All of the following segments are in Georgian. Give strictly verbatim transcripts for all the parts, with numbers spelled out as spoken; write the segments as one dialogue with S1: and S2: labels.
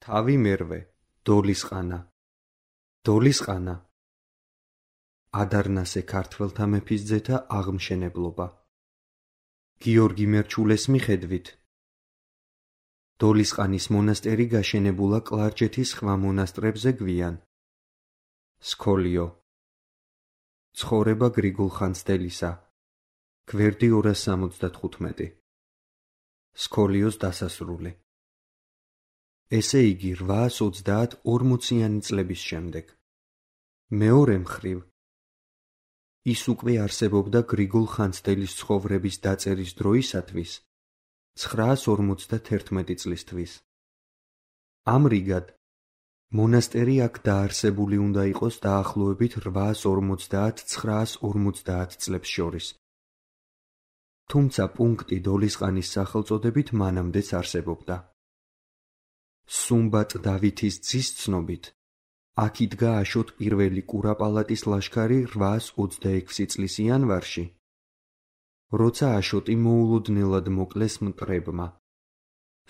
S1: თავი მერვე, დოლისყანა. დოლისყანა. ადარნასე ქართველთა მეფის ძეთა აღმშენებლობა. გიორგი მერჩულეს მიხედვით დოლისყანის მონასტერი გაშენებულა კლარჯეთის სხვა მონასტრებზე გვიან. სქოლიო. ცხოვრება გრიგოლ ხანძთელისა. გვერდი ორას სამოცდათხუთმეტი. სქოლიოს დასასრული. ესე იგი რვაას ოცდაათ ორმოციანი წლების შემდეგ. მეორე მხრივ ის უკვე არსებობდა გრიგოლ ხანძთელის ცხოვრების დაწერის დროისათვის ცხრაას ორმოცდათერთმეტი წლისთვის. ამრიგად მონასტერი აქ დაარსებული უნდა იყოს დაახლოებით რვაას ორმოცდაათ ცხრაას ორმოცდაათ წლებს შორის. თუმცა პუნქტი დოლისყანის სახელწოდებით მანამდეც არსებობდა. სუმბატ დავითის ძის ცნობით აქ იდგა აშოტ პირველი კურაპალატის ლაშქარი რვაას ოცდაექვსი წლის იანვარში, როცა აშოტი მოულოდნელად მოკლეს მტრებმა.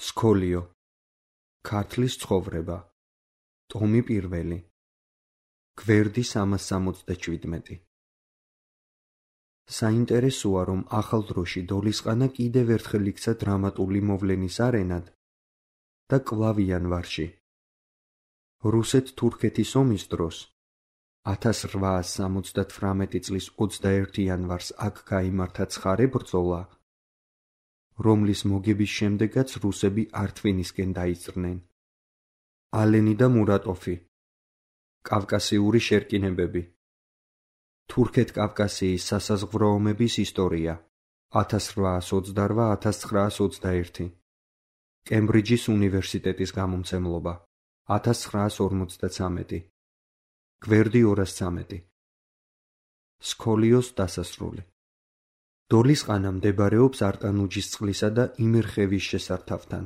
S1: სქოლიო. ქართლის ცხოვრება. ტომი პირველი. გვერდი სამას სამოცდაშვიდმეტი. საინტერესოა, რომ ახალ დროში დოლისყანა კიდევ ერთხელ იქცა დრამატული მოვლენის არენად და კვლავ იანვარში. რუსეთ-თურქეთის ომის დროს ათას რვაას სამოცდათვრამეტი წლის ოცდაერთი იანვარს აქ გაიმართა ცხარე ბრძოლა, რომლის მოგების შემდეგაც რუსები ართვინისკენ დაიძრნენ. ალენი და მურატოფი. კავკასიური შერკინებები. თურქეთ-კავკასიის სასაზღვრო ომების ისტორია. ათას რვაას ოცდარვა - ათას ცხრაას ოცდაერთი. კემბრიჯის უნივერსიტეტის გამომცემლობა. ათას ცხრაას ორმოცდაცამეტი. გვერდი ორას ცამეტი. სქოლიოს დასასრული. დოლისყანა მდებარეობს არტანუჯისწყლისა და იმერხევის შესართავთან.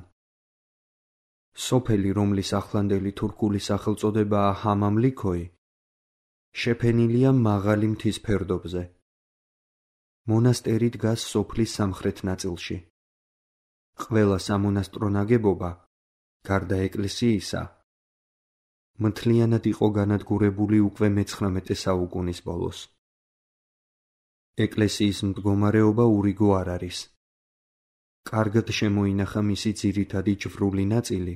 S1: სოფელი, რომლის ახლანდელი თურქული სახელწოდებაა ჰამამლიქოი, შეფენილია მაღალი მთის ფერდობზე. მონასტერი დგას სოფლის სამხრეთ ნაწილში. ყველა სამონასტრო ნაგებობა, გარდა ეკლესიისა, მთლიანად იყო განადგურებული უკვე მეცხრამეტე საუკუნის ბოლოს. ეკლესიის მდგომარეობა ურიგო არ არის. კარგად შემოინახა მისი ძირითადი ჯვრული ნაწილი,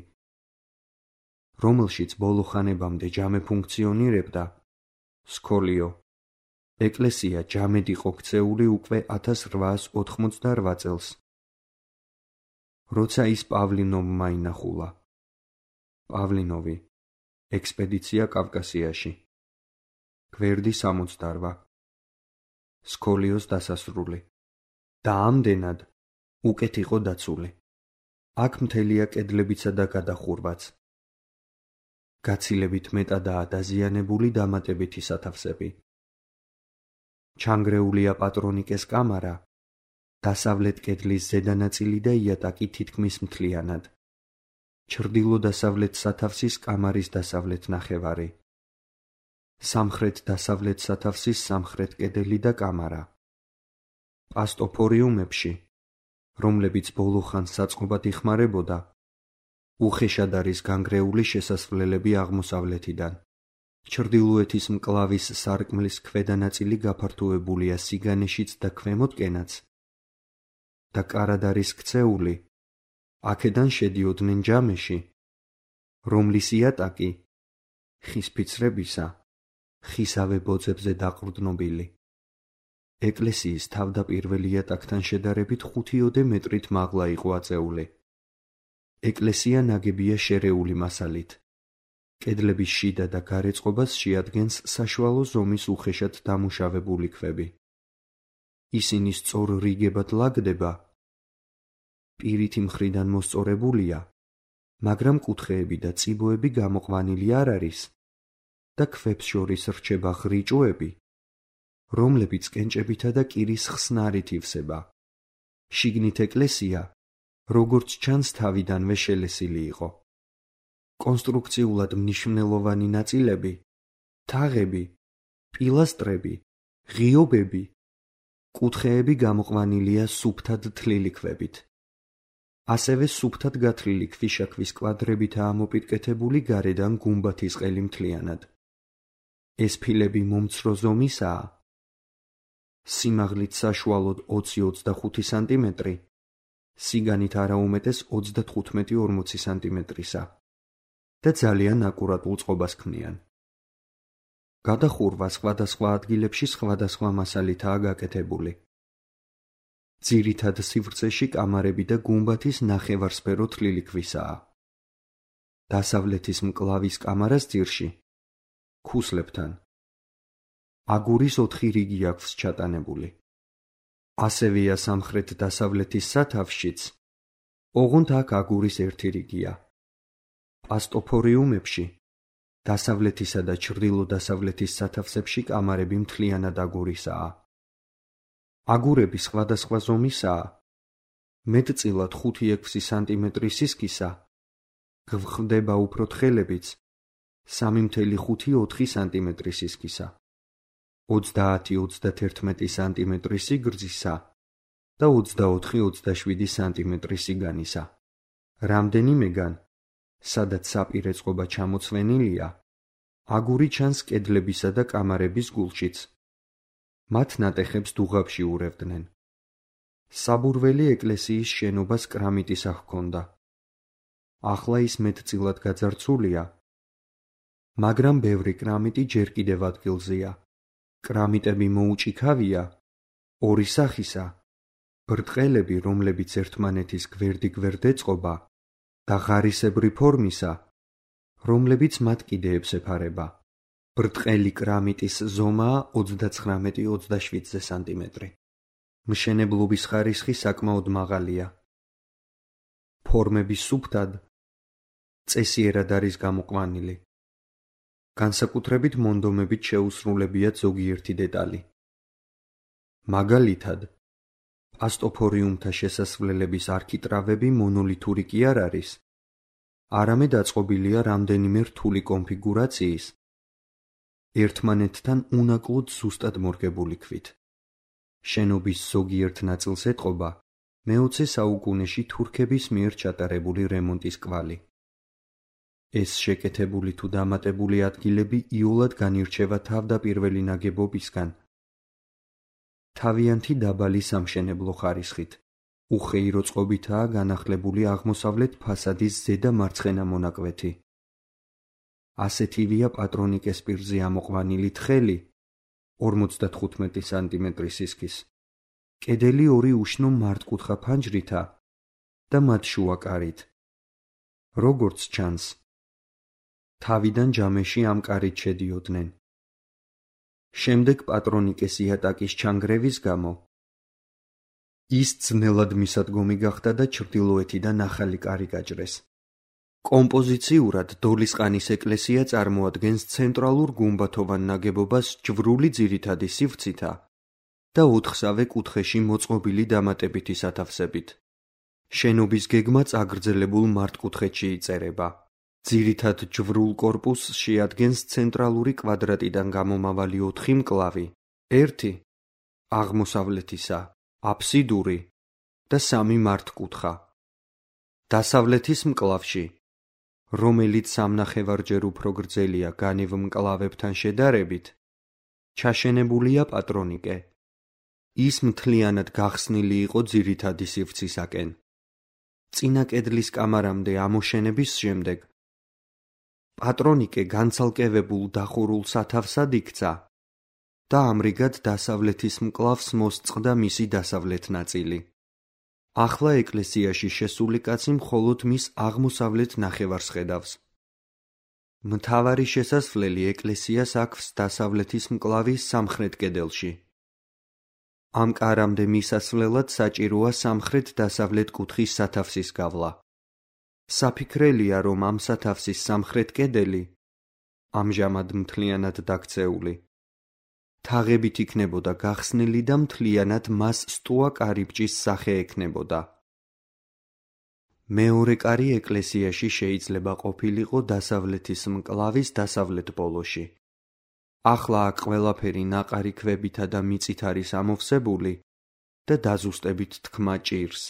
S1: რომელშიც ბოლო ხანებამდე ჯამე ფუნქციონირებდა. სქოლიო. ეკლესია ჯამედ იყო ქცეული უკვე ათას რვაას ოთხმოცდარვა წელს, როცა ის პავლინოვმა ინახულა. პავლინოვი. ექსპედიცია კავკასიაში. გვერდი სამოცდარვა. სქოლიოს დასასრული. და ამდენად უკეთ იყო დაცული. აქ მთელია კედლებიცა და გადახურვაც. გაცილებით მეტადაა დაზიანებული დამატებითი სათავსები. ჩანგრეულია პატრონიკეს კამარა, დასავლეთ კედლის ზედა ნაწილი და იატაკი თითქმის მთლიანად. ჩრდილო-დასავლეთ სათავსის კამარის დასავლეთ ნახევარი. სამხრეთ-დასავლეთ სათავსის სამხრეთ კედელი და კამარა. პასტოფორიუმებში, რომლებიც ბოლო ხანს საწყობად იხმარებოდა, უხეშად არის განგრეული შესასვლელები აღმოსავლეთიდან. ჩრდილოეთის მკლავის სარკმლის ქვედა ნაწილი გაფართოებულია სიგანეშიც და ქვემოთკენაც და კარად არის ქცეული. აქედან შედიოდნენ ჯამეში, რომლის იატაკი ხის ფიცრებისა, ხისავე ბოძებზე დაყრდნობილი. ეკლესიის თავდაპირველ იატაკთან შედარებით ხუთიოდე მეტრით მაღლა იყო აწეული. ეკლესია ნაგებია შერეული მასალით. კედლების შიდა და გარე წყობას შეადგენს საშუალო ზომის უხეშად დამუშავებული ქვები. ისინი სწორ რიგებად ლაგდება, პირითი მხრიდან მოსწორებულია, მაგრამ კუთხეები და წიბოები გამოყვანილი არ არის და ქვებს შორის რჩება ხრიჭოები, რომლებიც კენჭებითა და კირის ხსნარით ივსება. შიგნით ეკლესია, როგორც ჩანს, თავიდანვე შელესილი იყო. კონსტრუქციულად მნიშვნელოვანი ნაწილები, თაღები, პილასტრები, ღიობები, კუთხეები გამოყვანილია სუფთად თლილი ქვებით. ასევე სუფთად გათლილი ქვიშაქვის კვადრებითაა ამოპირკეთებული გარედან გუმბათის ყელი მთლიანად. ეს ფილები მომცრო ზომისაა, სიმაღლით საშუალოდ ოცი ოცდახუთი სანტიმეტრი, სიგანით არაუმეტეს ოცდათხუთმეტი ორმოცი სანტიმეტრისა და ძალიან აკურატულ წყობას ქმნიან. გადახურვა სხვადასხვა ადგილებში სხვადასხვა მასალითაა გაკეთებული. ძირითად სივრცეში კამარები და გუმბათის ნახევარსფერო თლილი ქვისაა. დასავლეთის მკლავის კამარას ძირში, ქუსლებთან, აგურის ოთხი რიგი აქვს ჩატანებული. ასევეა სამხრეთ-დასავლეთის სათავსშიც, ოღონდ აქ აგურის ერთი რიგია. პასტოფორიუმებში, დასავლეთისა და ჩრდილო-დასავლეთის სათავსებში კამარები მთლიანად აგურისაა. აგურები სხვადასხვა ზომისაა, მეტწილად ხუთი ექვსი სანტიმეტრი სისქისა, გვხვდება უფრო თხელებიც, სამი ათეული ხუთი ოთხი სანტიმეტრი სისქისა, ოცდაათი ოცდათერთმეტი სანტიმეტრი სიგრძისა და ოცდაოთხი ოცდაშვიდი სანტიმეტრი სიგანისა. რამდენიმეგან, სადაც საპირე წყობა ჩამოცვენილია, აგური ჩანს კედლებისა და კამარების გულშიც. მათ ნატეხებს დუღაბში ურევდნენ. საბურველი ეკლესიის შენობას კრამიტის ჰქონდა. ახლა ის მეტწილად გაძარცულია, მაგრამ ბევრი კრამიტი ჯერ კიდევ ადგილზეა. კრამიტები მოუჭიქავია, ორი სახისა, ბრტყელები, რომლებიც ერთმანეთის გვერდიგვერდ ეწყობა და ღარისებრი ფორმისა, რომლებიც მათ კიდეებს ეფარება. ბრტყელი კრამიტის ზომაა ოცდაცხრამეტი ოცდაშვიდზე სანტიმეტრი. მშენებლობის ხარისხი საკმაოდ მაღალია. ფორმები სუფთად, წესიერად არის გამოყვანილი. განსაკუთრებით მონდომებით შეუსრულებიათ ზოგიერთი დეტალი. მაგალითად, პასტოფორიუმთა შესასვლელების არქიტრავები მონოლითური კი არ არის, არამედ აწყობილია რამდენიმე რთული კონფიგურაციის, ერთმანეთთან უნაკლოდ ზუსტად მორგებული ქვით. შენობის ზოგიერთ ნაწილს ეტყობა მეოცე საუკუნეში თურქების მიერ ჩატარებული რემონტის კვალი. ეს შეკეთებული თუ დამატებული ადგილები იოლად განირჩევა თავდაპირველი ნაგებობისგან. თავიანთი დაბალი სამშენებლო ხარისხით, უხეირო წყობითაა განახლებული აღმოსავლეთ ფასადის ზედა მარცხენა მონაკვეთი. ასეთივეა პატრონიკეს პირზე ამოყვანილი თხელი, ორმოცდათხუთმეტი სანტიმეტრი სისქის, კედელი ორი უშნო მართკუთხა ფანჯრითა და მათ შუა კარით. როგორც ჩანს, თავიდან ჯამეში ამ კარით შედიოდნენ. შემდეგ პატრონიკეს იატაკის ჩანგრევის გამო ის ძნელად მისადგომი გახდა და ჩრდილოეთიდან ახალი კარი გაჭრეს. კომპოზიციურად დოლისყანის ეკლესია წარმოადგენს ცენტრალურ გუმბათოვან ნაგებობას ჯვრული ძირითადი სივრცითა და ოთხსავე კუთხეში მოწყობილი დამატებითი სათავსებით. შენობის გეგმა წაგრძელებულ მართკუთხედში იწერება. ძირითად ჯვრულ კორპუსს შეადგენს ცენტრალური კვადრატიდან გამომავალი ოთხი მკლავი, ერთი აღმოსავლეთისა, აფსიდური და სამი მართკუთხა. დასავლეთის მკლავში, რომელიც სამნახევარჯერ უფრო გრძელია განივ მკლავებთან შედარებით, ჩაშენებულია პატრონიკე. ის მთლიანად გახსნილი იყო ძირითადი სივრცისაკენ. წინა კედლის კამარამდე ამოშენების შემდეგ პატრონიკე განცალკევებულ დახურულ სათავსად იქცა და ამრიგად დასავლეთის მკლავს მოსწყდა მისი დასავლეთ ნაწილი. ახლა ეკლესიაში შესული კაცი მხოლოდ მის აღმოსავლეთ ნახევარს ხედავს. მთავარი შესასვლელი ეკლესიას აქვს დასავლეთის მკლავის სამხრეთ კედელში. ამ კარამდე მისასვლელად საჭიროა სამხრეთ-დასავლეთ კუთხის სათავსის გავლა. საფიქრელია, რომ ამ სათავსის სამხრეთ კედელი, ამჟამად მთლიანად დაქცეული, თაღებით იქნებოდა გახსნილი და მთლიანად მას სტუა კარიბჭის სახე ექნებოდა. მეორე კარი ეკლესიაში შეიძლება ყოფილიყო დასავლეთის მკლავის დასავლეთ ბოლოში. ახლა აქ ყველაფერი ნაყარი ქვებითა და მიწით არის ამოვსებული და დაზუსტებით თქმა ჭირს.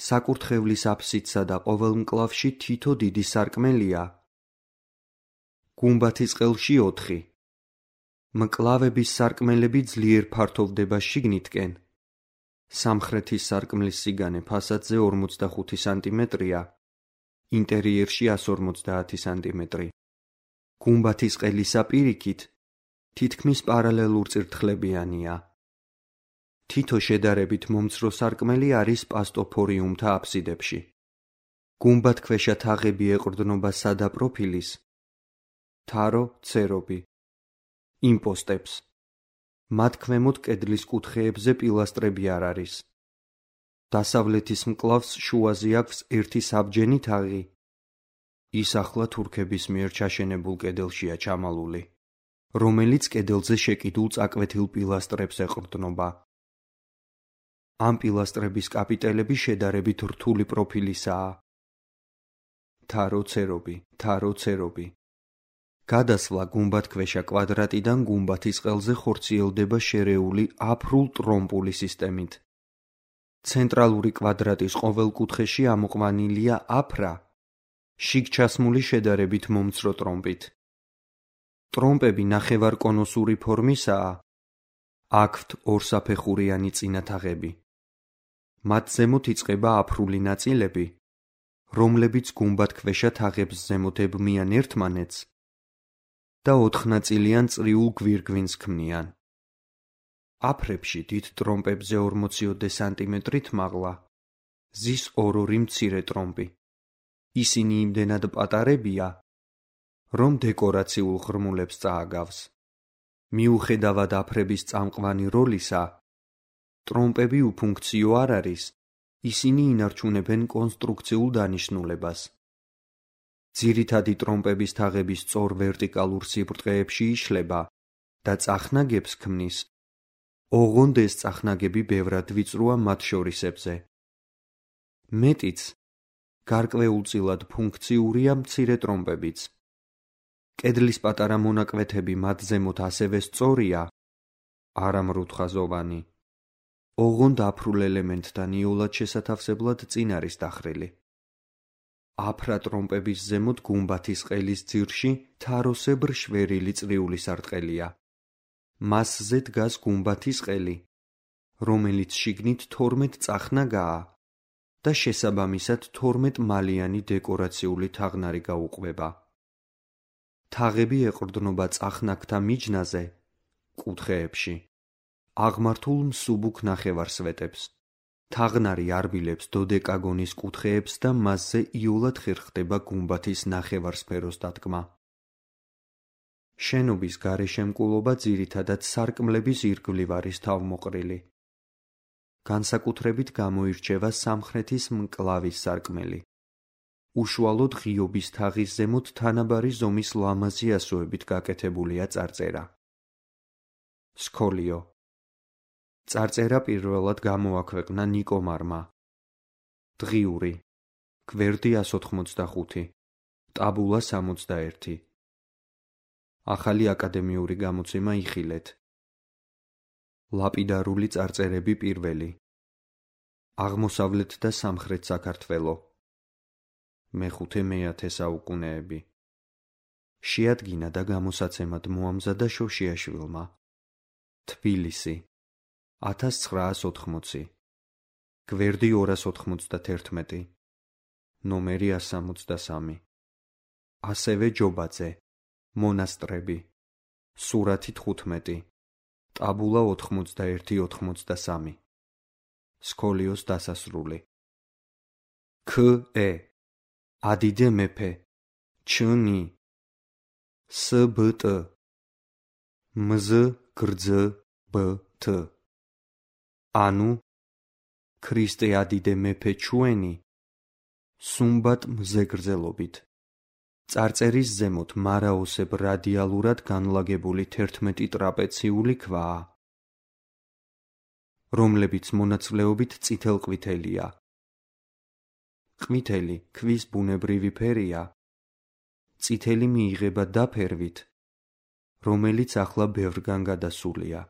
S1: საკურთხევლის აფსიდსა და ყოველ მკლავში თითო დიდი სარკმელია. გუმბათის ყელში ოთხი. მკლავების სარკმელები ძლიერ ფართოვდება შიგნითკენ. სამხრეთის სარკმლის სიგანე ფასადზე ორმოცდახუთი სანტიმეტრია, ინტერიერში ასი ორმოცდაათი სანტიმეტრი. გუმბათის ყელისა პირიქით თითქმის პარალელურწირთხლებიანია. თითო შედარებით მომცრო სარკმელი არის პასტოფორიუმთა აფსიდებში. გუმბათქვეშა თაღები ეყრდნობა სადა პროფილის, თარო ცერობი, იმპოსტებს. მათ ქვემოთ კედლის კუთხეებზე პილასტრები არ არის. დასავლეთის მკლავს შუაზე აქვს ერთი საბჯენი თაღი. ის ახლა თურქების მიერ ჩაშენებულ კედელშია ჩამალული, რომელიც კედელზე შეკიდულ წაკვეთილ პილასტრებს ეყრდნობა. ამ პილასტრების კაპიტელები შედარებით რთული პროფილისაა. თარო ცერობი, თარო ცერობი. გადასვლა გუმბათქვეშა კვადრატიდან გუმბათის ყელზე ხორციელდება შერეული აფრულ ტრომპული სისტემით. ცენტრალური კვადრატის ყოველ კუთხეში ამოყვანილია აფრა, შიგ ჩასმული შედარებით მომცრო ტრომპით. ტრომპები ნახევარკონუსური ფორმისაა, აქვთ ორსაფეხურიანი წინა თაღები. მათ ზემოთ იწყება აფრული ნაწილები, რომლებიც გუმბათქვეშა თაღებს ზემოდებმიან ერთმანეთს და ოთხნაწილიან წრიულ გვირგვინს ქმნიან. აფრებში დიდ ტრომპებზე ორმოციოდე სანტიმეტრით მაღლა, ზის ორ-ორი მცირე ტრომპი. ისინი იმდენად პატარებია, რომ დეკორაციულ ღრმულებს წააგავს. მიუხედავად აფრების წამყვანი როლისა, ტრომპები უფუნქციო არ არის, ისინი ინარჩუნებენ კონსტრუქციულ დანიშნულებას. ძირითადი ტრომპების თაღები სწორ ვერტიკალურ სიბრტყეებში იშლება და წახნაგებს ქმნის. ოღონდ ეს წახნაგები ბევრად ვიწროა მათ შორისებზე. მეტიც, გარკვეულწილად ფუნქციურია მცირე ტრომპებიც. კედლის პატარა მონაკვეთები მათ ზემოთ ასევე სწორია, არა მრუდხაზოვანი. ოღონდ აფრულ ელემენტთან იოლად შესათავსებლად წინ არის დახრილი. აფრა ტრომპების ზემოთ გუმბათის ყელის ძირში თაროსებრ შვერილი წრიული სარტყელია. მასზე დგას გუმბათის ყელი, რომელიც შიგნით თორმეტ წახნაგაა და შესაბამისად თორმეტ მალიანი დეკორაციული თაღნარი გაუყვება. თაღები ეყრდნობა წახნაგთა მიჯნაზე, კუთხეებში, აღმართულ მსუბუქ ნახევარსვეტებს. თაღნარი არბილებს დოდეკაგონის კუთხეებს და მასზე იოლად ხერხდება გუმბათის ნახევარსფეროს დადგმა. შენობის გარეშემკულობა ძირითადად სარკმლების ირგვლივ არის თავმოყრილი. განსაკუთრებით გამოირჩევა სამხრეთის მკლავის სარკმელი. უშუალოდ ღიობის თაღის ზემოთ თანაბარი ზომის ლამაზი ასოებით გაკეთებულია წარწერა. სქოლიო. წარწერა პირველად გამოაქვეყნა ნიკომარმა. დღიური. გვერდი ასი ოთხმოცდახუთი. ტაბულა სამოცდაერთი. ახალი აკადემიური გამოცემა იხილეთ. ლაპიდარული წარწერები პირველი. აღმოსავლეთ და სამხრეთ საქართველო. მეხუთე მეათე საუკუნეები. შეადგინა და გამოსაცემად მოამზადა შოშიაშვილმა. თბილისი. ათას ცხრაას ოთხმოცი. გვერდი ორას ოთხმოცდათერთმეტი. ნომერი ასი სამოცდასამი. ასევე ჯობაძე. მონასტრები. სურათი თხუთმეტი. ტაბულა ოთხმოცდაერთი ოთხმოცდასამი. სქოლიოს დასასრული. ქ-ე. ადიდე მეფე. ჩ-ნი. ს-ბ-ტ. მზ-გრძ-ბ-თ. ანუ ქრისტე ადიდე მეფე ჩვენი სუმბატ მზეგრძელობით. წარწერის ზემოთ მარაოსებ რადიალურად განლაგებული თერთმეტი ტრაპეციული ქვაა, რომლებიც მონაცვლეობით წითელყვითელია. ყვითელი ქვის ბუნებრივი ფერია. წითელი მიიღება დაფერვით, რომელიც ახლა ბევრგან გადასულია.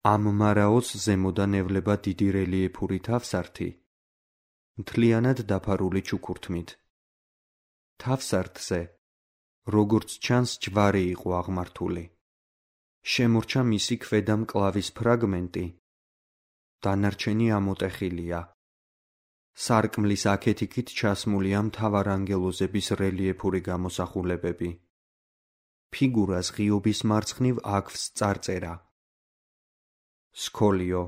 S1: ამ მარაოს ზემოდან ევლება დიდი რელიეფური თავსართი, მთლიანად დაფარული ჩუქურთმით. თავსართზე, როგორც ჩანს, ჯვარი იყო აღმართული. შემორჩა მისი ქვედა მკლავის ფრაგმენტი, დანარჩენი ამოტეხილია. სარკმლის აქეთ-იქით ჩასმულია მთავარანგელოზების რელიეფური გამოსახულებები. ფიგურას ღიობის მარცხნივ აქვს წარწერა. სკოლიო,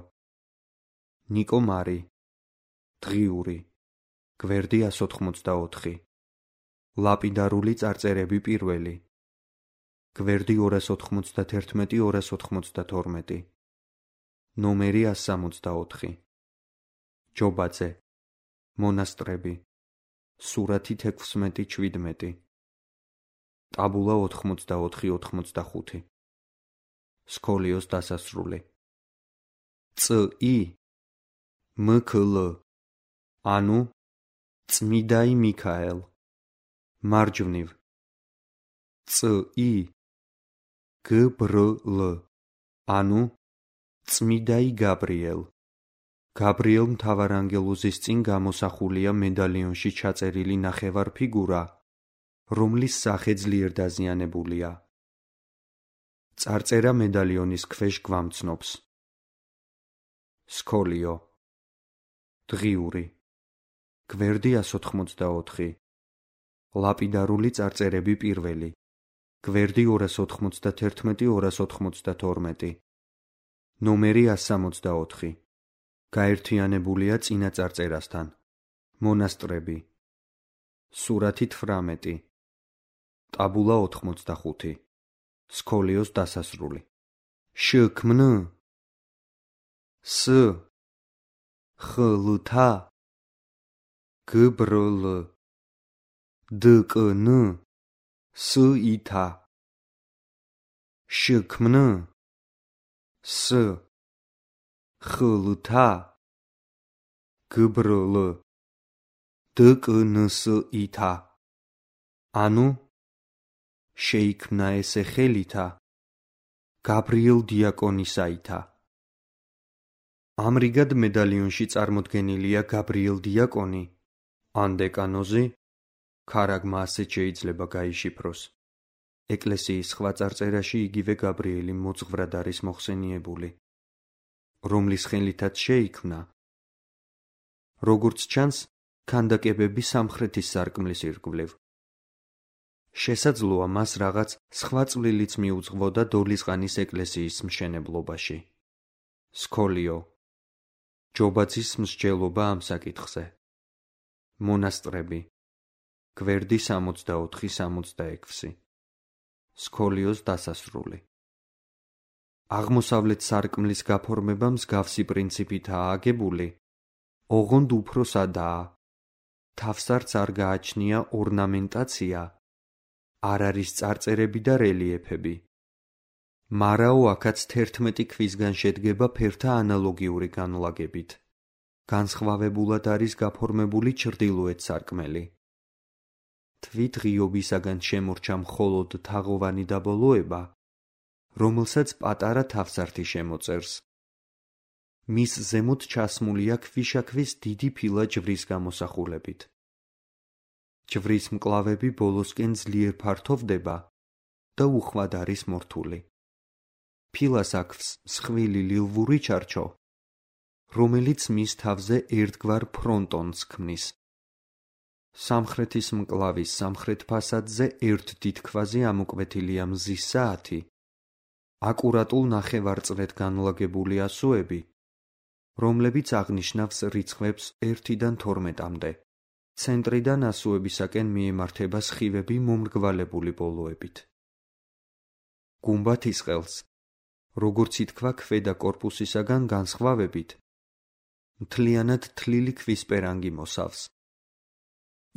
S1: ნიკო მარი, დღიური, გვერდი εκατს ოთხმოცდაოთხი, ლაპიდარული წარწერები პირველი, გვერდი ორას ოთხმოცდათერთმეტი ორას ოთხმოცდათორმეტი, ნომერი εκατს სამოცდაოთხი, ჯობაძე, მონასტრები, სურათი ექვსმეტი შვიდმეტი, ტაბულა ოთხმოცდაოთხი ოთხმოცდახუთი, სკოლიოს დასასრული. წ.ი. მქლ, ანუ წმიდაი მიქაელ, მარჯვნივ. წ.ი. გბრლ, ანუ წმიდაი გაბრიელ. გაბრიელ მთავარანგელოზის წინ გამოსახულია მედალიონში ჩაწერილი ნახევარ ფიგურა, რომლის სახე ძლიერ დაზიანებულია. წარწერა მედალიონის ქვეშ გვამცნობს. სკოლიო, დღიური, გვერდი εκατს ოთხმოცდაოთხი, ლაპიდარული წარწერები პირველი, გვერდი ორას ოთხმოცდათერთმეტი ორას ოთხმოცდათორმეტი, ნომერი εκατს სამოცდაოთხი, გაერთიანებულია წინა წარწერასთან, მონასტრები, სურათი თვრამეტი, ტაბულა ოთხმოცდახუთი, სკოლიოს დასასრული. შქმნ, ს, ხლთა, გბრლ, დკნ, სითა. შქმნ, ს, ხლთა, გბრლ, დკნსითა. ანუ შეიქმნა ესე ხელითა, გაბრიელ დიაკონისაითა. ამრიგად მედალიონში წარმოდგენილია გაბრიელ დიაკონი, ან დეკანოზი, ქარაგმა ასეთ შეიძლება გაიშიფროს. ეკლესიის სხვა წარწერაში იგივე გაბრიელი მოძღვრად არის მოხსენიებული, რომლის ხელითაც შეიქმნა. როგორც ჩანს, ქანდაკებები სამხრეთის სარკმლის ირგვლივ. შესაძლოა მას რაღაც სხვა წვლილიც მიუძღვოდა დოლისყანის ეკლესიის მშენებლობაში. სკოლიო, ჯობაძის მსჯელობა ამ საკითხზე. მონასტრები, გვერდი სამოცდაოთხი სამოცდაექვსი, სკოლიოს დასასრული. აღმოსავლეთ სარკმლის გაფორმება მსგავსი პრინციპითაა აგებული, ოღონდ უფრო სადაა. თავსართს არ გააჩნია ორნამენტაცია, არ არის წარწერები და რელიეფები. მარაო აქაც თერთმეტი ქვისგან შედგება ფერთა ანალოგიური განლაგებით. განსხვავებულად არის გაფორმებული ჩრდილოეთ სარკმელი. თვით ღიობისაგან შემორჩა მხოლოდ თაღოვანი დაბოლოება, რომელსაც პატარა თავსართი შემოწერს. მის ზემოთ ჩასმულია ქვიშაქვის დიდი ფილა ჯვრის გამოსახულებით. ჯვრის მკლავები ბოლოსკენ ძლიერ ფართოვდება და უხვად არის მორთული. ფილას აქვს მსხვილი ლილვური ჩარჩო, რომელიც მის თავზე ერთგვარ ფრონტონს ქმნის. სამხრეთის მკლავის სამხრეთ ფასადზე ერთ დიდ ქვაზე ამოკვეთილია მზის საათი, აკურატულ ნახევარწრედ განლაგებული ასოები, რომლებიც აღნიშნავს რიცხვებს ერთიდან თორმეტამდე. ცენტრიდან ასოებისაკენ მიემართება სხივები მომრგვალებული ბოლოებით. გუმბათის ყელს, როგორც ითქვა ქვედა კორპუსისაგან განსხვავებით, მთლიანად თლილი ქვის პერანგი მოსავს.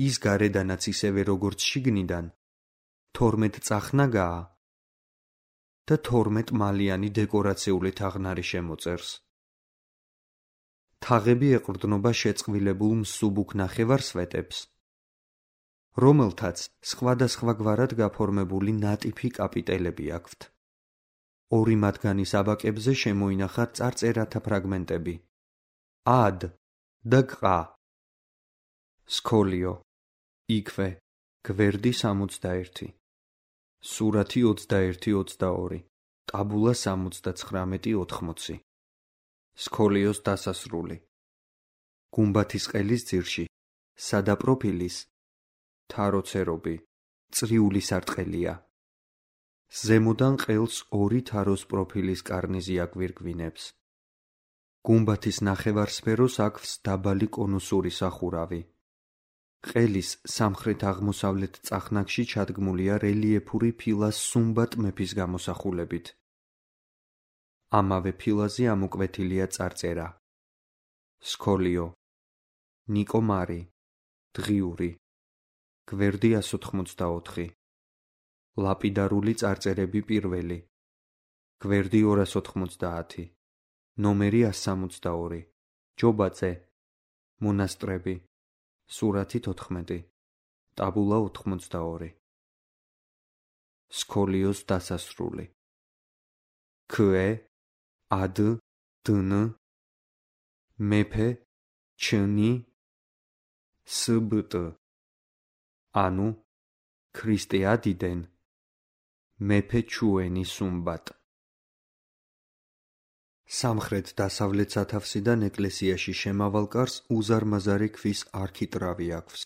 S1: ის გარედანაც ისევე როგორც შიგნიდან, თორმეტწახნაგაა და თორმეტმალიანი დეკორაციული თაღნარი შემოწერს. თაღები ეყრდნობა შეწყვილებულ მსუბუქ ნახევარსვეტებს, რომელთაც სხვადასხვაგვარად გაფორმებული ნატიფი კაპიტელები აქვთ. ორი მათგანის აბაკებზე შემოინახა წარწერათა ფრაგმენტები. ად და ყა. სქოლიო, იქვე, გვერდი სამოცდაერთი, სურათი ოცდაერთი ოცდაორი, ტაბულა სამოცდაცხრამეტი ოთხმოცი, სქოლიოს დასასრული, გუმბათის ყელის ძირში, სადა პროფილის, თაროცერობი, წრიული სარტყელია. ზემოდან ყელს ორი თაროს პროფილის კარნიზი აგვირგვინებს. გუმბათის ნახევარსფეროს აქვს დაბალი კონუსური სახურავი. ყელის სამხრეთ-აღმოსავლეთ წახნაგში ჩადგმულია რელიეფური ფილას სუმბატ მეფის გამოსახულებით. ამავე ფილაზე ამოკვეთილია წარწერა. სქოლიო, ნიკო მარი, დღიური, გვერდი εκατს ოთხმოცდაოთხი, ლაპიდარული წარწერები პირველი, გვერდი ორას ოთხმოცდაათი, ნომერი εκას სამოცდაორი, ჯობაძე, მონასტრები, სურათი თოთხმეტი, ტაბულა ოთხმოცდაორი. სქოლიოს დასასრული. ქვე, ად, დნ, მეფე, ჩნი, სბტ. ანუ, ქრისტე ადიდენ, მეფე ჩუენი სუმბატ. სამხრეთ-დასავლეთ სათავსიდან ეკლესიაში შემავალ კარს უზარმაზარი ქვის არქიტრავი აქვს.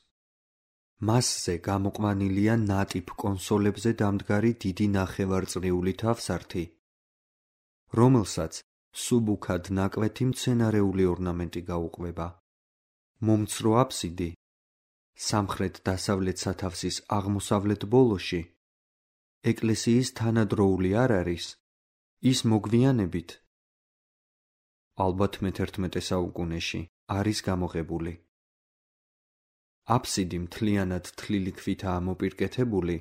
S1: მასზე გამოყვანილია ნატიფ კონსოლებზე დამდგარი დიდი ნახევარწრიული თავსართი, რომელსაც სუბუქად ნაკვეთი მცენარეული ორნამენტი გაუყვება. მომცრო აფსიდი სამხრეთ-დასავლეთ სათავსის აღმოსავლეთ ბოლოში, ეკლესიის თანადროული არ არის, ის მოგვიანებით, ალბათ მეთერთმეტე საუკუნეში, არის გამოღებული. აფსიდი მთლიანად თლილი ქვითაა მოპირკეთებული,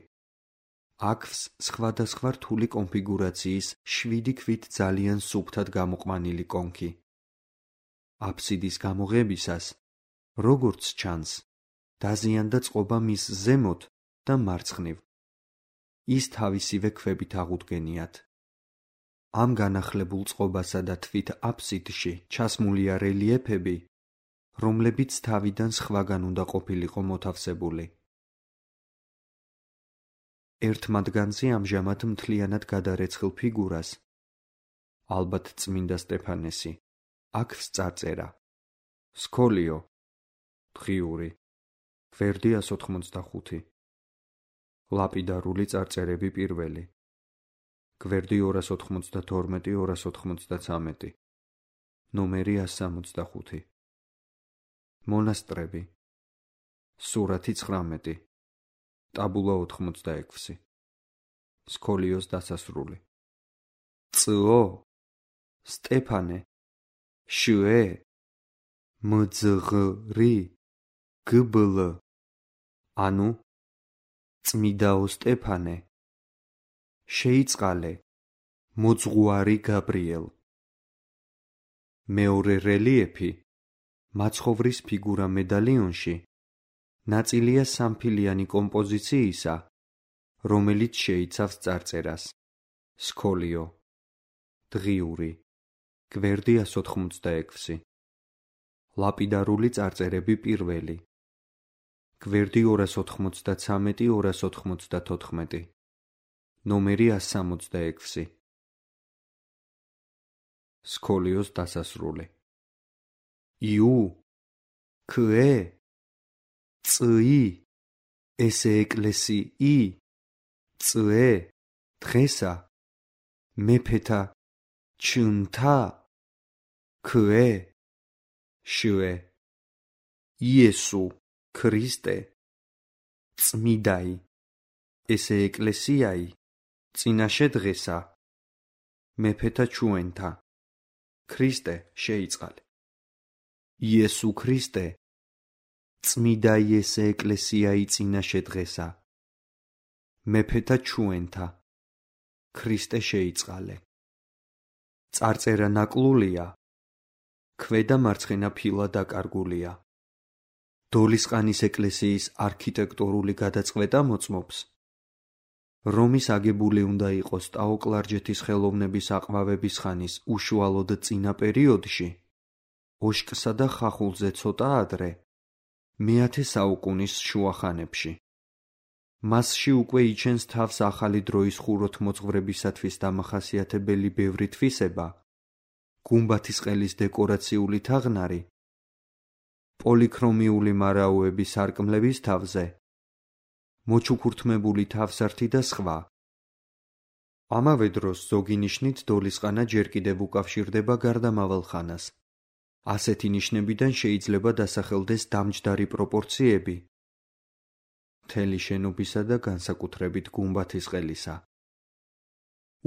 S1: აქვს სხვადასხვა რთული კონფიგურაციის შვიდი ქვით ძალიან სუფთად გამოყვანილი კონქი. აფსიდის გამოღებისას, როგორც ჩანს, დაზიანდა წყობა მის ზემოთ და მარცხნივ. ის თავისივე ქვებით აღუდგენიათ. ამ განახლებულ წყობასა და თვით აფსიდში ჩასმულია რელიეფები, რომლებიც თავიდან სხვაგან უნდა ყოფილიყო მოთავსებული. ერთ მათგანზე ამჟამად მთლიანად გადარეცხილ ფიგურას, ალბათ წმინდა სტეფანესი, აქვს წარწერა. სქოლიო, დღიური, გვერდი εκას ოთხმოცდახუთი, ლაპიდარული წარწერები პირველი, გვერდი ორას ოთხმოცდათორმეტი ორას ოთხმოცდაცამეტი, ნომერი εκას სამოცდახუთი, მონასტრები, სურათი ცხრამეტი, ტაბულა ოთხმოცდაექვსი, სქოლიოს დასასრული. წო, სტეფანე, შვე, მძღრი, გბლ. ანუ, წმიდაო სტეფანე, შეიწყალე, მოძღვარი გაბრიელ. მეორე რელიეფი, მაცხოვრის ფიგურა მედალიონში, ნაწილია სამფილიანი კომპოზიციისა, რომელიც შეიცავს წარწერას. სქოლიო, დღიური, გვერდი εκას ოთხმოცდაექვსი, ლაპიდარული წარწერები პირველი, გვერდი ორას ოთხმოცდაცამეტი ორას ოთხმოცდათოთხმეტი, ნომერი εκას სამოცდაექვსი. სქოლიოს დასასრული. იუ, ქვე, წი, ესე ეკლესიი, წე, დღესა, მეფეთა, ჩნთა, ქვე, შვე, იესუ, ქრისტე, წმიდაი, ესე ეკლესიაი, წინაშე დღესა, მეფეთა ჩუენთა, ქრისტე შეიწყალე. იესუ ქრისტე, წმიდაი ესე ეკლესიაი წინაშე დღესა, მეფეთა ჩუენთა, ქრისტე შეიწყალე. წარწერა ნაკლულია, ქვედა მარცხენა ფილა დაკარგულია. დოლისყანის ეკლესიის არქიტექტურული გადაწყვეტა მოწმობს, რომის აგებული უნდა იყოს ტაო-კლარჯეთის ხელოვნების აყვავების ხანის უშუალოდ წინა პერიოდში, ოშკსა და ხახულზე ცოტა ადრე, მეათე საუკუნის შუახანებში. მასში უკვე იჩენს თავს ახალი დროის ხუროთმოძღვრებისათვის დამახასიათებელი ბევრი თვისება, გუმბათის ყელის დეკორაციული თაღნარი, პოლიქრომიული მარაოების სარკმლების თავზე, მოჩუქურთმებული თავსართი და სხვა. ამავე დროს ზოგი ნიშნით დოლისყანა ჯერ კიდევ უკავშირდება გარდამავალ ხანას. ასეთი ნიშნებიდან შეიძლება დასახელდეს დამჯდარი პროპორციები მთელი შენობისა და განსაკუთრებით გუმბათის ყელისა.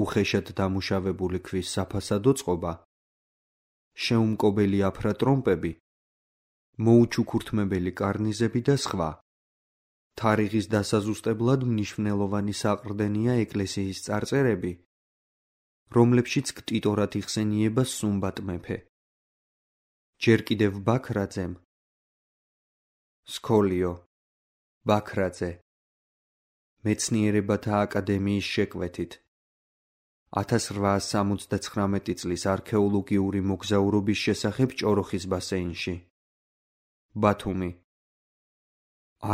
S1: უხეშად დამუშავებული ქვის საფასადო წყობა, შეუმკობელი აფრატრომპები, მოუჩუქურთმებელი კარნიზები და სხვა. თარიღის დასაზუსტებლად მნიშვნელოვანი საყრდენია ეკლესიის წარწერები, რომლებშიც ქტიტორად იხსენიება სუმბატ მეფე. ჯერ კიდევ ბაქრაძემ სქოლიო ბაქრაძე მეცნიერებათა აკადემიის შეკვეთით ათას რვაას სამოცდაცხრამეტი წლის არქეოლოგიური მოგზაურობის შესახებ ჭოროხის ბასეინში. ბათუმი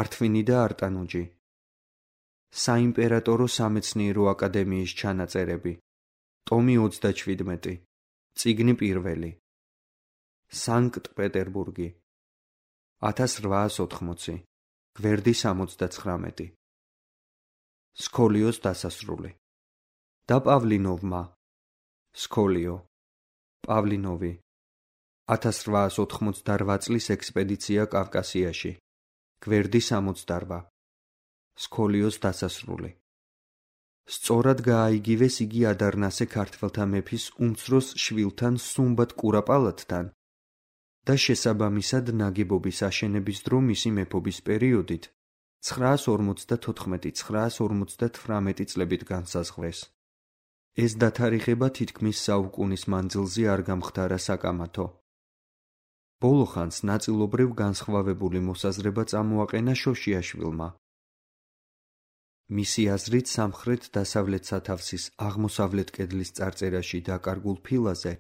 S1: ართვინი და არტანუჯი. საიმპერატორო სამეცნიერო აკადემიის ჩანაწერები. ტომი ოცდაჩვიდმეტი. წიგნი პირველი. სანქტ-პეტერბურგი. ათას რვაას ოთხმოცი. გვერდი სამოცდაცხრამეტი. სქოლიოს დასასრული. და პავლინოვმა. სქოლიო პავლინოვი. ათას რვაას ოთხმოცდარვა წლის ექსპედიცია კავკასიაში. გვერდი სამოცდარვა. სქოლიოს დასასრული. სწორად გააიგივეს იგი ადარნასე ქართველთა მეფის უმცროს შვილთან სუმბატ კურაპალატთან და შესაბამისად ნაგებობის აშენების დრო მისი მეფობის პერიოდით ცხრაას ორმოცდათოთხმეტი ცხრაას ორმოცდათვრამეტი წლებით განსაზღვრეს. ეს დათარიღება თითქმის საუკუნის მანძილზე არ გამხდარა საკამათო. ბოლო ხანს ნაწილობრივ განსხვავებული მოსაზრება წამოაყენა შოშიაშვილმა. მისი აზრით სამხრეთ-დასავლეთ სათავსის აღმოსავლეთ კედლის წარწერაში დაკარგულ ფილაზე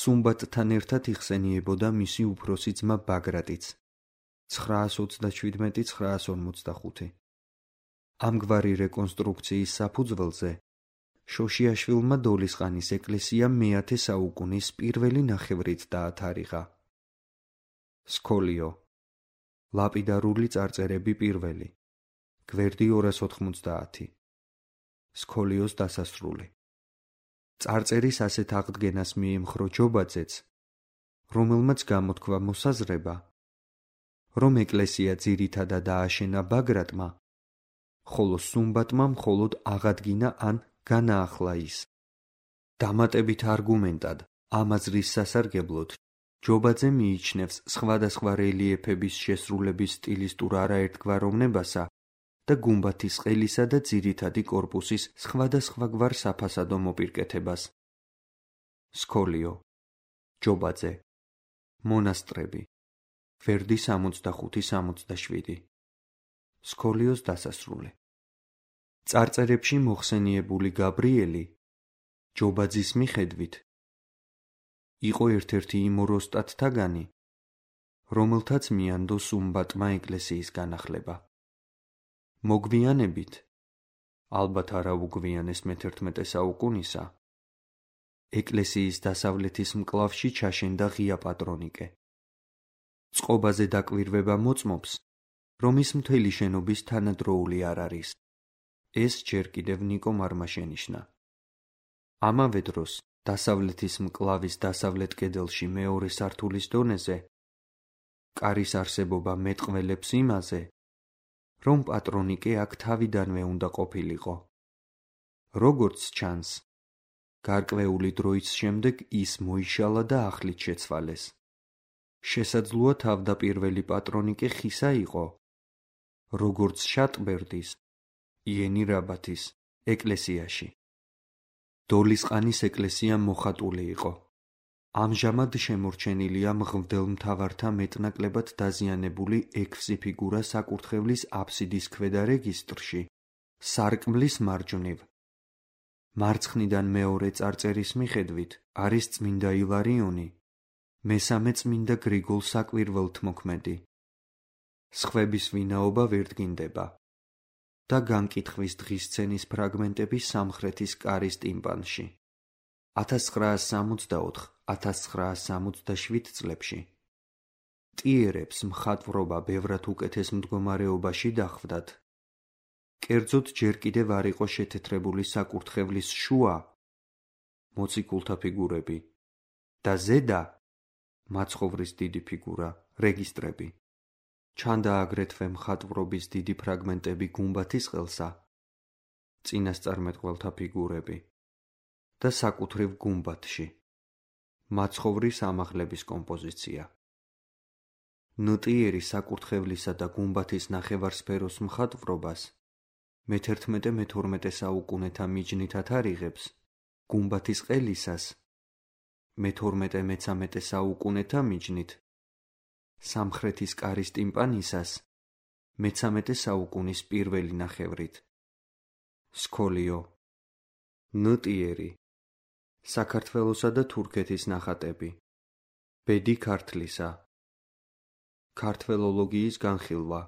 S1: სუმბატთან ერთად იხსენიებოდა მისი უფროსი ძმა ბაგრატიც ცხრაას ოცდაჩვიდმეტი ცხრაას ორმოცდახუთი. ამგვარი რეკონსტრუქციის საფუძველზე შოშიაშვილმა დოლისყანის ეკლესია მეათე საუკუნის პირველი ნახევრით დაათარიღა. სქოლიო ლაპიდარული წარწერები პირველი. გვერდი ორას ოთხმოცდაათი. სქოლიოს დასასრული. წარწერის ასეთ აღდგენას მიემხრო ჯობაძეც, რომელმაც გამოთქვა მოსაზრება, რომ ეკლესია ძირითადად დააშენა ბაგრატმა, ხოლო სუმბატმა მხოლოდ აღადგინა ან განაახლა ის. დამატებით არგუმენტად ამ აზრის სასარგებლოდ ჯობაძე მიიჩნევს სხვადასხვა რელიეფების შესრულების სტილისტურ არაერთგვაროვნებასა და გუმბათის ყელისა და ძირითადი კორპუსის სხვადასხვაგვარ საფასადო მოპირკეთებას. სქოლიო ჯობაძე მონასტრები. გვერდი სამოცდახუთი სამოცდაშვიდი. სქოლიოს დასასრული. წარწერებში მოხსენიებული გაბრიელი ჯობაძის მიხედვით იყო ერთ-ერთი იმ ოროსტატთაგანი, რომელთაც მიანდო სუმბატმა ეკლესიის განახლება. მოგვიანებით, ალბათ არა უგვიანეს მეთერთმეტე საუკუნისა, ეკლესიის დასავლეთის მკლავში ჩაშენდა ღია პატრონიკე. წყობაზე დაკვირვება მოწმობს, რომ ის მთელი შენობის თანადროული არ არის. ეს ჯერ კიდევ ნიკო მარმა შენიშნა. ამავე დროს დასავლეთის მკლავის დასავლეთ კედელში მეორე სართულის დონეზე კარის არსებობა მეტყველებს იმაზე, რომ პატრონიკე აქ თავიდანვე უნდა ყოფილიყო. როგორც ჩანს, გარკვეული დროის შემდეგ ის მოიშალა და ახლით შეცვალეს. შესაძლოა თავდაპირველი პატრონიკე ხისა იყო, როგორც შატბერდის, იენირაბათის ეკლესიაში. დოლისყანის ეკლესია მოხატული იყო. ამჟამად შემორჩენილია მღვდელმთავართა მეტნაკლებად დაზიანებული ექვსი ფიგურა საკურთხევლის აფსიდის ქვედა რეგისტრში, სარკმლის მარჯვნივ. მარცხნიდან მეორე წარწერის მიხედვით არის წმინდა ილარიონი, მესამე წმინდა გრიგოლ საკვირველთმოქმედი. სხვების ვინაობა ვერ დგინდება და განკითხვის დღისცენის ფრაგმენტები სამხრეთის კარის ტიმპანში. ათას ცხრაას სამოცდაოთხ - ათას ცხრაას სამოცდაშვიდ წლებში ტიერებს მხატვრობა ბევრად უკეთეს მდგომარეობაში დახვდათ. კერძოდ ჯერ კიდევ არ იყო შეთეთრებული საკურთხევლის შუა მოციქულთა ფიგურები და ზედა მაცხოვრის დიდი ფიგურა, რეგისტრები. ჩანდა აგრეთვე მხატვრობის დიდი ფრაგმენტები გუმბათის ყელსა, წინასწარმეტყველთა ფიგურები და საკუთრივ გუმბათში მაცხოვრის ამაღლების კომპოზიცია. ნოტიერი საკურთხევლისა და გუმბათის ნახევარსფეროს მხატვრობას მეთერთმეტე-მეთორმეტე საუკუნეთა მიჯნით ათარიღებს გუმბათის ყელისას მეთორმეტე-მეცამეტე საუკუნეთა მიჯნით, სამხრეთის კარის ტიმპანისას მეცამეტე საუკუნის პირველი ნახევრით. სქოლიო, ნოტიერი, საქართველოსა და თურქეთის ნახატები, ბედი ქართლისა, ქართველოლოგიის განხილვა,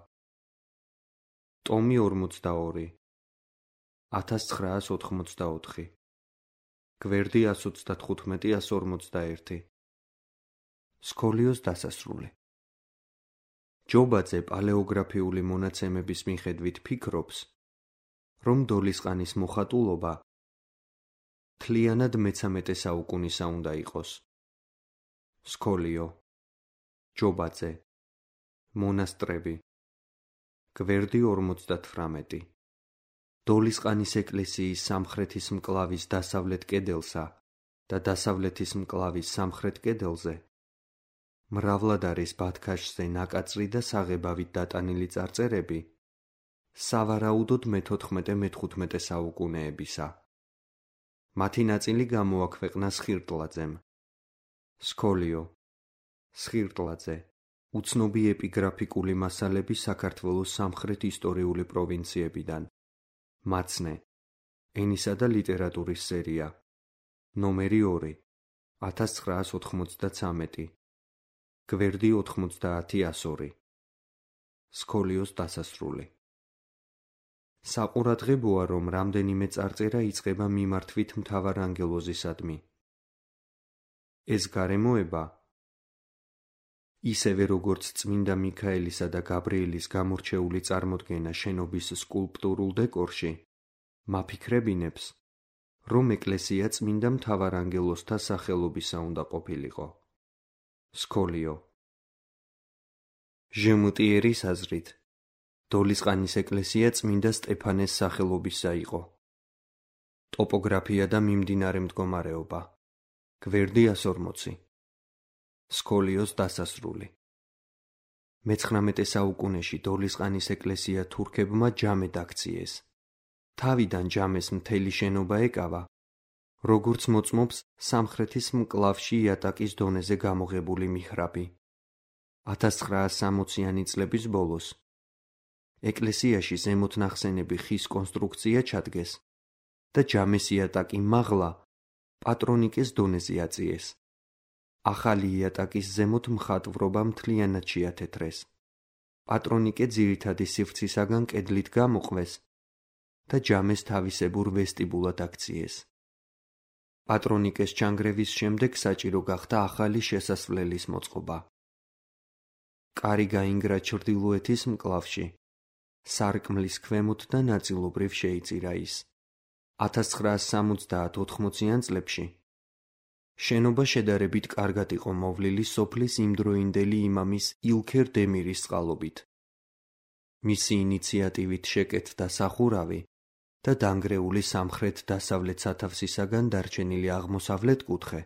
S1: ტომი ორმოცდაორი, ათას ცხრაას ოთხმოცდაოთხი, გვერდი ას ოცდათხუთმეტი - ას ორმოცდაერთი. სქოლიოს დასასრული. ჯობაძე პალეოგრაფიული მონაცემების მიხედვით ფიქრობს, რომ დოლისყანის მოხატულობა მთლიანად მეცამეტე საუკუნისა უნდა იყოს. სქოლიო, ჯობაძე, მონასტრები, გვერდი ორმოცდათვრამეტი. დოლისყანის ეკლესიის სამხრეთის მკლავის დასავლეთ კედელსა და დასავლეთის მკლავის სამხრეთ კედელზე მრავლად არის ბათქაშზე ნაკაწრი და საღებავით დატანილი წარწერები სავარაუდოდ მეთოთხმეტე-მეთხვთმეტე საუკუნეებისა. მათი ნაწილი გამოაქვეყნა სხირტლაძემ. სქოლიო, სხირტლაძე, უცნობი ეპიგრაფიკული მასალები საქართველოს სამხრეთ ისტორიული პროვინციებიდან. მაცნე, ენისა და ლიტერატურის სერია, ნომერი ორი, ათას ცხრაას ოთხმოცდაცამეტი, გვერდი ოთხმოცდაათი - ას ორი. სქოლიოს დასასრული. საყურადღებოა, რომ რამდენიმე წარწერა იწყება მიმართვით მთავარანგელოზისადმი. ეს გარემოება, ისევე როგორც წმინდა მიქაელისა და გაბრიელის გამორჩეული წარმოდგენა შენობის სკულპტურულ დეკორში, მაფიქრებინებს, რომ ეკლესია წმინდა მთავარანგელოზთა სახელობისა უნდა ყოფილიყო. სქოლიო. ჟმუტიერის აზრით, დოლისყანის ეკლესია წმინდა სტეფანეს სახელობისა იყო. ტოპოგრაფია და მიმდინარე მდგომარეობა. გვერდი ას ორმოცი. სქოლიოს დასასრული. მეცხრამეტე საუკუნეში დოლისყანის ეკლესია თურქებმა ჯამედ აქციეს. თავიდან ჯამეს მთელი შენობა ეკავა, როგორც მოწმობს სამხრეთის მკლავში იატაკის დონეზე გამოღებული მიჰრაბი. ათას ცხრაას სამოციანი წლების ბოლოს ეკლესიაში ზემოთ ნახსენები ხის კონსტრუქცია ჩადგეს და ჯამეს იატაკი მაღლა პატრონიკეს დონეზე აწიეს. ახალი იატაკის ზემოთ მხატვრობა მთლიანად შეათეთრეს. პატრონიკე ძირითადი სივრცისაგან კედლით გამოყვეს და ჯამეს თავისებურ ვესტიბულად აქციეს. პატრონიკეს ჩანგრევის შემდეგ საჭირო გახდა ახალი შესასვლელის მოწყობა. კარი გაინგრა ჩრდილოეთის მკლავში, სარკმლის ქვემოთ და ნაწილობრივ შეიწირა ის. ათას ცხრაას სამოცდაათ - ოთხმოციან წლებში შენობა შედარებით კარგად იყო მოვლილი სოფლის იმდროინდელი იმამის ილქერ დემირის წყალობით. მისი ინიციატივით შეკეთდა სახურავი და დანგრეული სამხრეთ-დასავლეთ სათავსისაგან დარჩენილი აღმოსავლეთ კუთხე,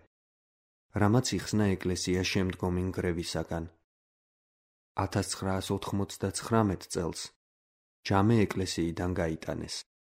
S1: რამაც იხსნა ეკლესია შემდგომი ნგრევისაგან. ათას ცხრაას ოთხმოცდაცხრამეტ წელს ჯამე ეკლესიიდან გაიტანეს.